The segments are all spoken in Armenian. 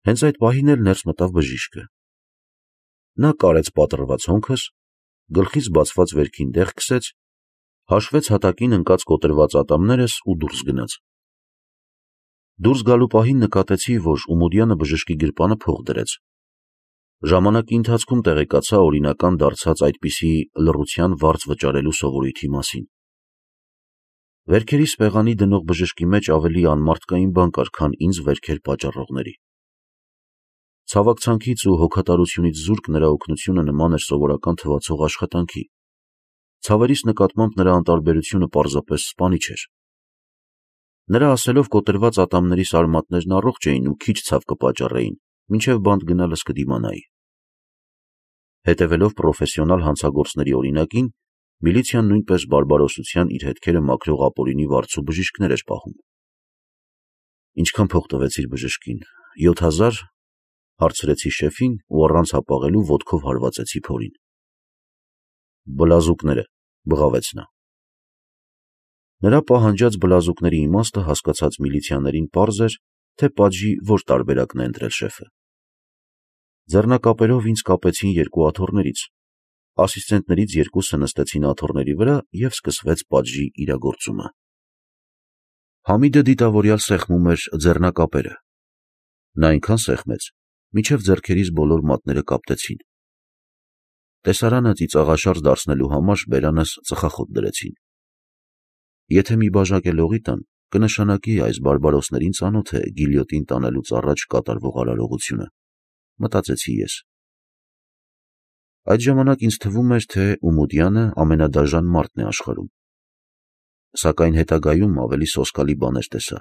Հենց այդ պահին էլ ներս մտավ բժիշկը։ Նա կարեց պատռված հոնքս, գլխից բացված վերքին դեղ քսեց, հաշվեց հատակին ընկած կոտրված ատամներս ու դուրս գնաց։ Դուրս գալու պահին նկատեցի, որ Ումուդյանը բժշկի գրպանը փող դրեց։ Ժամանակի ընթացքում տեղեկացա օրինական դարձած այդպիսի լռության վարձ վճարելու սովորույթի մասին։ Վերքերիս պեղանի դնող բժշկի մեջ ավելի անմարդկային բան կար, քան ինձ վերքեր պատճառողների։ Ցավակցանքից ու հոգատարությունից զուրկ նրա օգնությունը նման էր սովորական թվացող աշխատանքի։ Ցավերիս նկատմամբ նրա անտարբերությունը պարզապես սպանիչ էր։ Նրա ասելով կոտրված ատամներիս արմատներն առողջ էին ու քիչ ցավ կպատճառեին, մինչև բանտ գնալս կդիմանայի։ Հետևելով պրոֆեսիոնալ հանցագործների օրինակին, միլիցիան նույնպես բարբարոսության իր հետքերը մաքրող ապօրինի վարձու բժիշկներ էր պահում։ Ինչքան փող տվեցիր բժշկին։ 7,000, հարցրեցի շեֆին ու առանց հապաղելու ոտքով հարվածեցի փորին։ Բլազուկները, բղավեց նա։ Նրա պահանջած բլազուկների իմաստը հասկացած միլիցիաներին պարզ էր, թե պատժի որ տարբերակն է ընտրել շեֆը։ Ձեռնակապերով ինձ կապեցին երկու աթոռներից, ասիստենտներից երկուսը նստեցին աթոռների վրա և սկսվեց պատժի իրագործումը։ Համիդը դիտավորյալ սեղմում էր ձեռնակապերը։ Նա այնքան սեղմեց, մինչև ձեռքերիս բոլոր մատները կապտեցին։ Տեսարանը ծիծաղաշարժ դարձնելու համար բերանս ծխախոտ դրեցին։ Եթե մի բաժակ էլ օղի տան, կնշանակի այս բարբարոսներին ծանոթ է գիլյոտին տանելուց առաջ կատարվող արարողությունը, մտածեցի ես։ Այդ ժամանակ ինձ թվում էր, թե Ումուդյանը ամենադաժան մարդն է աշխարհում։ Սակայն հետագայում ավելի սոսկալի բաներ տեսա։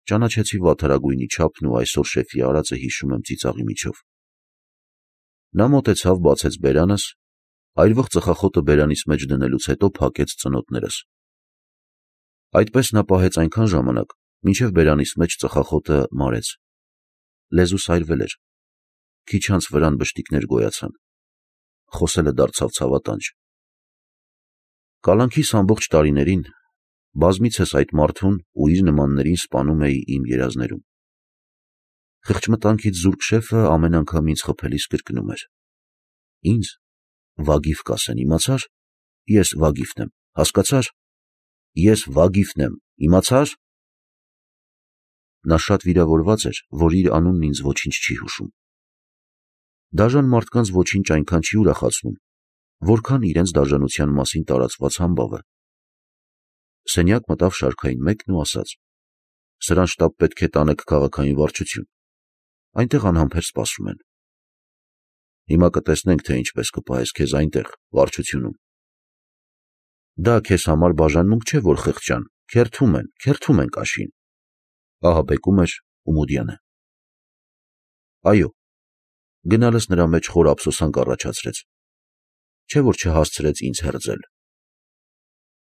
Ճանաչեցի վատթարագույնի չափն ու այսօր շեֆի արածը հիշում եմ ծիծաղի միջով։ Նա մոտեցավ, բացեց բերանս, այրվող ծխախոտը բերանիս մեջ դնելուց հետո փակեց ծնոտներս։ Այդպես նա պահեց այնքան ժամանակ, մինչև բերանիս մեջ ծխախոտը մարեց։ Լեզուս այրվել էր։ Քիչ անց վրան բշտիկներ գոյացան։ Խոսելը դարձավ ցավատանջ։ Կալանքիս ամբողջ տարիներին բազմիցս այդ մարդուն ու իր նմաններին սպանում էի իմ երազներում։ Խղճմտանքից զուրկ շեֆը ամեն անգամ ինձ խփելիս կրկնում էր. «Ինձ Վագիֆ կասեն, իմացա՞ր։ Ես Վագիֆն եմ, հասկացա՞ր։ Ես Վագիֆն եմ, իմացա՞ր»։ Նա շատ վիրավորված էր, որ իր անունն ինձ ոչինչ չի հուշում։ Դաժան մարդկանց ոչինչ այնքան չի ուրախացնում, որքան իրենց դաժանության մասին տարածված համբավը։ Սենյակ մտավ շարքային մեկն ու ասաց. «Սրան շտապ պետք է տանեք քաղաքային վարչություն, այնտեղ անհամբեր սպասում են»։ «Հիմա կտեսնենք, թե ինչպես կպահես քեզ այնտեղ, վարչությունում»։ «Դա քեզ համար բաժանմունք չէ, որ խղճան, քերթում են կաշին», ահաբեկում էր Ումուդյանը։ Այո, գնալս նրա մեջ խոր ափսոսանք առաջացրեց, չէ՞ որ չհասցրեց ինձ հերձել։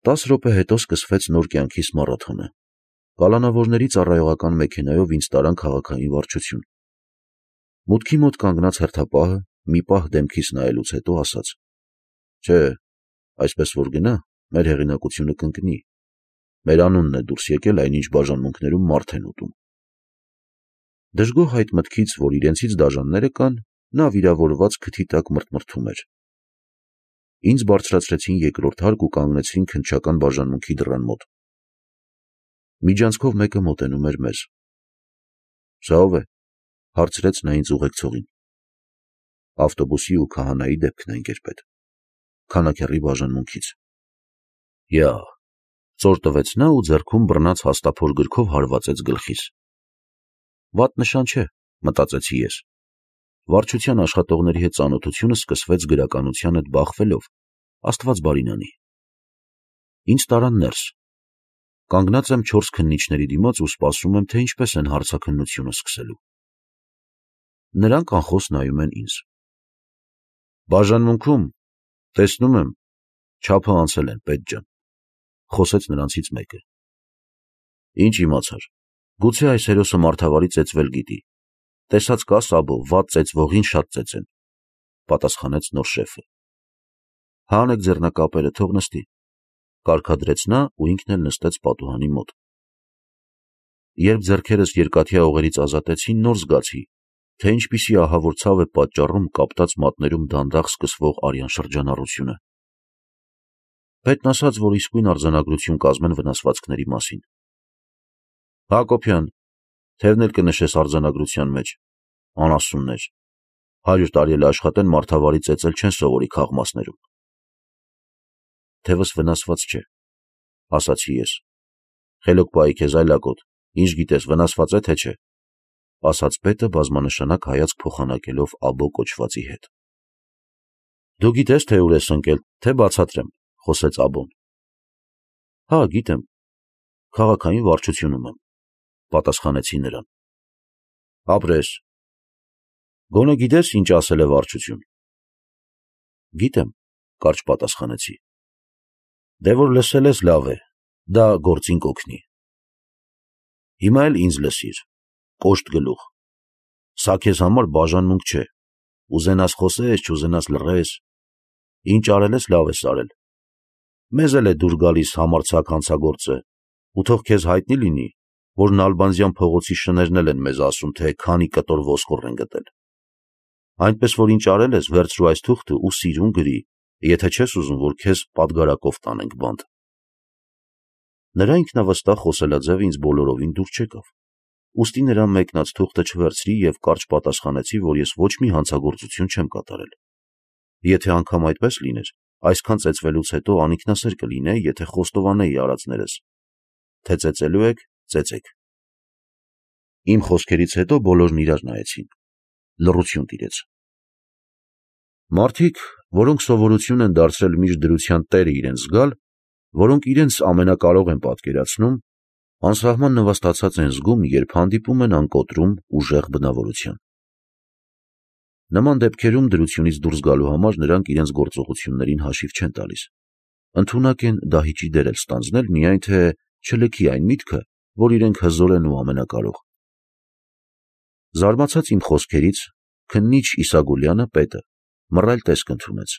10 րոպե հետո սկսվեց նոր կյանքիս մարաթոնը։ Կալանավորների ծառայողական մեքենայով ինձ տարան քաղաքային վարչություն։ Մուտքի մոտ կանգնած հերթապահը մի պահ դեմքիս նայելուց հետո ասաց. «Չէ, այսպես որ գնա, մեր հեղինակությունը կընկնի։ Մեր անունն է դուրս եկել այնինչ բաժանմունքներում մարդ են ուտում»։ Դժգոհ այդ մտքից, որ իրենցից դաժանները կան, նա վիրավորված քթի տակ մրթմրթում էր։ Ինձ բարձրացրեցին երկրորդ հարկ ու կանգնեցրին քննչական բաժանմունքի դռան մոտ։ Միջանցքով մեկը մոտենում էր մեզ։ «Սա ո՞վ է», հարցրեց նա ինձ ուղեկցողին։ «Ավտոբուսի ու քահանայի դեպքն է, ընկերպետ, քանաքեռի բաժանմունքից»։ Յա, ծոր տվեց նա ու ձեռքում բռնած հաստափոր գրքով հարվածեց գլխիս։ Վատ նշան չէ, մտածեցի ես։ Վարչության աշխատողների հետ ծանոթությունը սկսվեց գրականության հետ բախվելով, Աստված բարին անի։ Ինձ տարան ներս։ Կանգնած եմ 4 քննիչների դիմաց ու սպասում եմ, թե ինչպես են հարցաքննությունը սկսելու։ Նրանք անխոս նայում են ինձ։ «Բաժանմունքում, տեսնում եմ, չափը անցել են, պետ ջան», խոսեց նրանցից մեկը։ «Ինչ իմացար, գուցե այս հերոսը մարդավարի ծեծվել գիտի։ Տեսած կա Սաբո, վատ ծեծվողին շատ ծեծեն», պատասխանեց նոր շեֆը։ «Հանեք ձեռնակապերը, թող նստի», կարգադրեց նա ու ինքն էլ նստեց պատուհանի մոտ։ Երբ ձեռքերս երկաթյա օղերից ազատեցին, նոր զգացի, թե ինչպիսի ահավոր ցավ է պատճառում կապտած մատներում դանդաղ սկսվող արյան շրջանառությունը։ Պետն ասաց, որ իսկույն արձանագրություն կազմեն վնասվածքների մասին։ Հակոբյան, թևն էլ կնշես արձանագրության մեջ, անասուններ, 100 տարի էլ աշխատեն մարդավարի ծեծել չեն սովորի քաղմասներում։ Թևս վնասված չէ, ասացի ես։ Խելոք պայի քեզ այլակոտ, ինչ գիտես, վնասված է թե չէ, ասաց պետը բազմանշանակ հայացք փոխանակելով աբո կոչվածի հետ։ Դու գիտես, թե ուր ես ընկել, թե բացատրեմ, խոսեց աբոն։ Հա, գիտեմ, քաղաքային վարչությունում եմ, պատասխանեցի նրան։ Ապրես։ Գոնե գիտես, ինչ ասել է վարչություն։ Գիտեմ, կարճ պատասխանեցի։ Դե որ լսել ես, լավ է, դա գործին կօգնի։ Հիմա էլ ինձ լսիր, կոշտ գլուխ, սա քեզ համար բաժանմունք չէ, ուզենաս խոսես, չուզենաս լռես, ինչ արել ես, լավ ես արել։ Մեզ էլ է դուր գալիս համարձակ հանցագործը, ու թող քեզ հայտնի լինի, որ Նալբանդյան փողոցի շներն էլ են մեզ ասում, թե քանի կտոր ոսկոր են գտել։ Այնպես որ ինչ արել ես, վերցրու այս թուղթը ու սիրուն գրի, եթե չես ուզում, որ քեզ պատգարակով տանենք բանտ։ Նրա ինքնավստահ խոսելաձևը ինձ բոլորովին դուր չեկավ, ուստի նրան մեկնած թուղթը չվերցրի և կարճ պատասխանեցի, որ ես ոչ մի հանցագործություն չեմ կատարել։ Եթե անգամ այդպես լիներ, այսքան ծեծվելուց հետո անինքնասեր կլինեի, եթե խոստովանեի արածներս, թե ծեծելու եք, ծեծեք։ Իմ խոսքերից հետո բոլորն իրար նայեցին, լռություն տիրեց։ Մարդիկ, որոնք սովորություն են դարձրել միշտ դրության տերը իրենց զգալ, որոնք իրենց ամենակարող են պատկերացնում, անսահման նվաստացած են զգում, երբ հանդիպում են անկոտրում ուժեղ բնավորության։ Նման դեպքերում դրությունից դուրս գալու համար նրանք իրենց գործողություններին հաշիվ չեն տալիս։ Ընդունակ են դահիճի դեր էլ ստանձնել, միայն թե չլքի այն միտքը, որ իրենք հզոր են ու ամենակարող։ Զարմացած իմ խոսքերից, քննիչ Իսագուլյանը, պետը, մռայլ տեսք ընդունեց։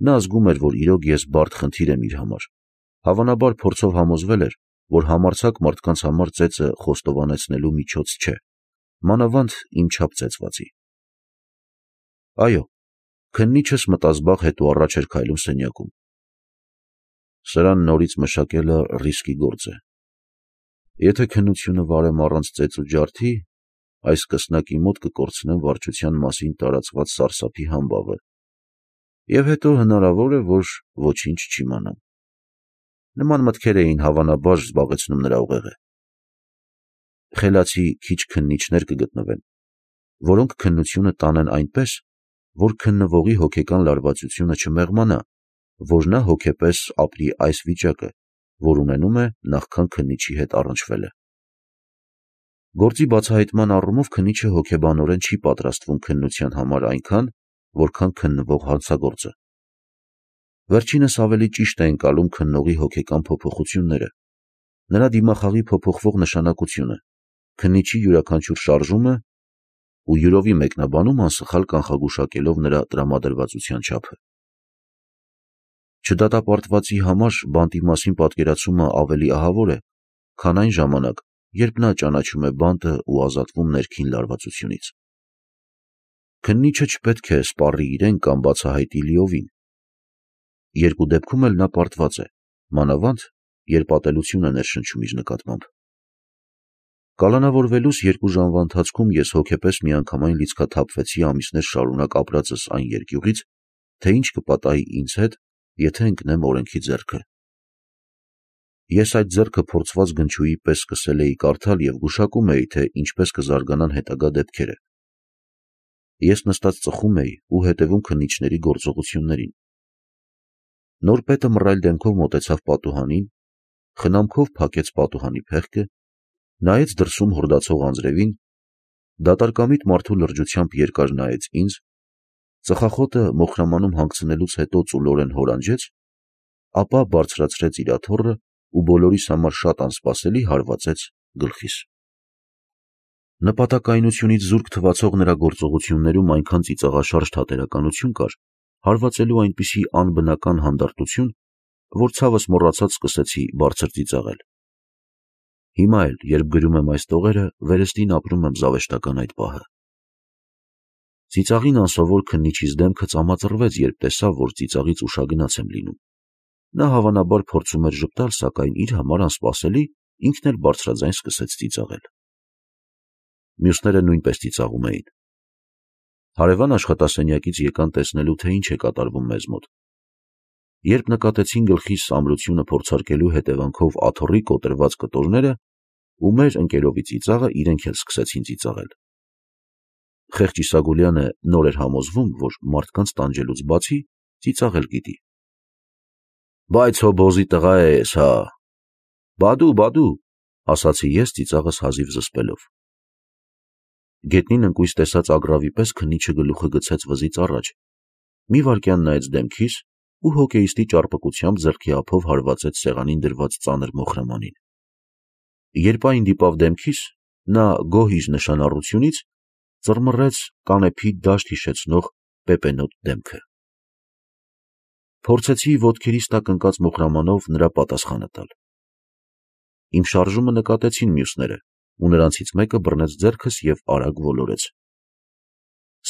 Նա զգում էր, որ իրոք ես բարդ խնդիր եմ իր համար, հավանաբար փորձով համոզվել էր, որ համարձակ մարդկանց համար ծեծը խոստովանեցնելու միջոց չէ, մանավանդ իմ չափ ծեծվածի։ Այո, քննիչս մտազբաղ հետո առաջ էր քայլում սենյակում։ Սրան նորից մշակելը ռիսկի գործ է։ Եթե քննությունը վարեմ առանց ծեծ ու ջարդի, այս կսնակի մոտ կկորցնեմ վարչության մասին տարածված սարսափի համբավը, և հետո հնարավոր է, որ ոչինչ չիմանամ։ Նման մտքեր էին հավանաբար զբաղեցնում նրա ուղեղը։ Խելացի քիչ քննիչներ կգտնվեն, որոնք քննությունը տանեն այնպես, որ քննվողի հոգեկան լարվածությունը չմեղմանա, որ նա հոգեպես ապրի այս վիճակը, որ ունենում է նախքան քննիչի հետ առնչվելը։ Գործի բացահայտման առումով քննիչը հոգեբանորեն չի պատրաստվում քննության համար այնքան, որքան քննվող հանցագործը։ Վերջինս ավելի ճիշտ է ընկալում քննողի հոգեկան փոփոխությունները, նրա դիմախաղի փոփոխվող նշանակությունը, քննիչի յուրաքանչյուր շարժումը ու յուրովի մեկնաբանում անսխալ կանխագուշակելով նրա տրամադրվածության չափը։ Չդատապարտվածի համար բանտի մասին պատկերացումը ավելի ահավոր է, քան այն ժամանակ, երբ նա ճանաչում է բանտը ու ազատվում ներքին լարվածությունից։ Քննիչը չպետք է սպառի իրեն կամ բացահայտի լիովին։ Երկու դեպքում էլ նա պարտված է, մանավանդ, երբ ատելություն է ներշնչում իր նկատմամբ։ Կալանավորվելուս 2 ժամվա ընթացքում ես հոգեպես միանգամայն լիցքաթափվեցի ամիսներ շարունակ ապրածս այն երկյուղից, թե ինչ կպատահի ինձ հետ, եթե ընկնեմ օրենքի ձեռքը։ Ես այդ ձեռքը փորձված գնչուի պես սկսել էի կարդալ և գուշակում էի, թե ինչպես կզարգանան հետագա դեպքերը։ Ես նստած ծխում էի ու հետևում քննիչների գործողություններին։ Նոր պետը մռայլ դեմքով մոտեցավ պատուհանին, խնամքով փակեց պատուհանի փեղկը, նայեց դրսում հորդացող անձրևին, դատարկամիտ մարդու լրջությամբ երկար նայեց ինձ, ծխախոտը մոխրամանում հանգցնելուց հետո ծուլորեն հորանջեց, ապա բարձրացրեց իր աթոռը ու բոլորիս համար շատ անսպասելի հարվածեց գլխիս։ Նպատակայնությունից զուրկ թվացող նրա գործողություններում այնքան ծիծաղաշարժ թատերականություն կար, հարվածելու այնպիսի անբնական հանդարտություն, որ ցավս մոռացած սկսեցի բարձր ծիծաղել։ Հիմա էլ, երբ գրում եմ այս տողերը, վերստին ապրում եմ զավեշտական այդ պահը։ Ծիծաղին անսովոր քննիչիս դեմքը ծամածռվեց, երբ տեսավ, որ ծիծաղից ուշագնաց եմ լինում։ Նա հավանաբար փորձում էր ժպտալ, սակայն իր համար անսպասելի ինքն էլ բարձրաձայն սկսեց ծիծաղել։ Մյուսները նույնպես ծիծաղում էին։ Հարևան աշխատասենյակից եկան տեսնելու, թե ինչ է կատարվում մեզ մոտ։ Երբ նկատեցին գլխիս ամրությունը փորձարկելու հետևանքով աթոռի կոտրված կտորները ու մեր ընկերովի ծիծաղը, իրենք էլ սկսեցին ծիծաղել։ Խեղճ Իսագուլյանը նոր էր համոզվում, որ մարդկանց տանջելուց բացի ծիծաղել գիտի։ Բայց հո բոզի տղա ես, հա։ Բադու, ասացի ես ծիծաղս հազիվ զսպելով։ Գետնին ընկույզ տեսած ագռավի պես քննիչը գլուխը գցեց վզից առաջ, մի վայրկյան նայեց դեմքիս ու հոկեյիստի ճարպկությամբ ձեռքի ափով հարվածեց սեղանին դրված ծանր մոխրամանին։ Երբ այն դիպավ դեմքիս, նա գոհ իր նշանառությունից ծռմռեց կանեփի դաշտ հիշեցնող պեպենոտ դեմքը։ Փորձեցի ոտքերիս տակ ընկած մոխրամանով նրա պատասխանը տալ։ Իմ շարժումը նկատեցին մյուսները, ու նրանցից մեկը բռնեց ձեռքս և արագ ոլորեց։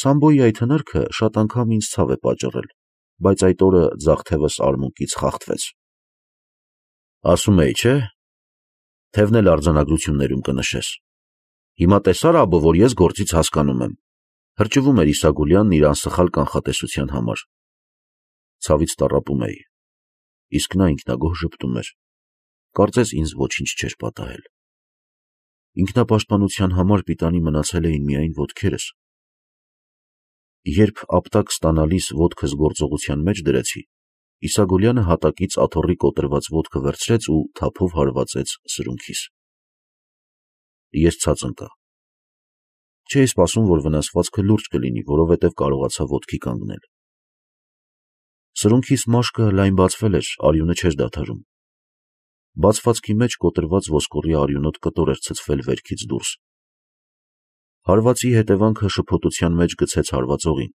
Սամբոյի այդ հնարքը շատ անգամ ինձ ցավ է պատճառել, բայց այդ օրը ձախ թևս արմունկից խախտվեց։ Ասում էի, չէ՞, թևն էլ արձանագրություններում կնշես։ Հիմա տեսա՞ր, աբո, որ ես գործից հասկանում եմ։ Հրճվում էր Իսագուլյանն իր անսխալ կանխատեսության համար։ Ցավից տառապում էի, իսկ նա ինքնագոհ ժպտում էր, կարծես ինձ ոչինչ չէր պատահել։ Ինքնապաշտպանության համար պիտանի մնացել էին միայն ոտքերս։ Երբ ապտակ ստանալիս ոտքս գործողության մեջ դրեցի, Իսագուլյանը հատակից աթոռի կոտրված ոտքը վերցրեց ու թափով հարվածեց սրունքիս։ Ես ցած ընկա։ Չէի սպասում, որ վնասվածքը լուրջ կլինի, որովհետև կարողացա ոտքի կանգնել։ Սրունքիս մաշկը լայն բացվել էր, արյունը չէր դադարում։ Բացվածքի մեջ կոտրված ոսկորի արյունոտ կտոր էր ցցվել վերքից դուրս։ Հարվածի հետևանքը շփոթության մեջ գցեց հարվածողին,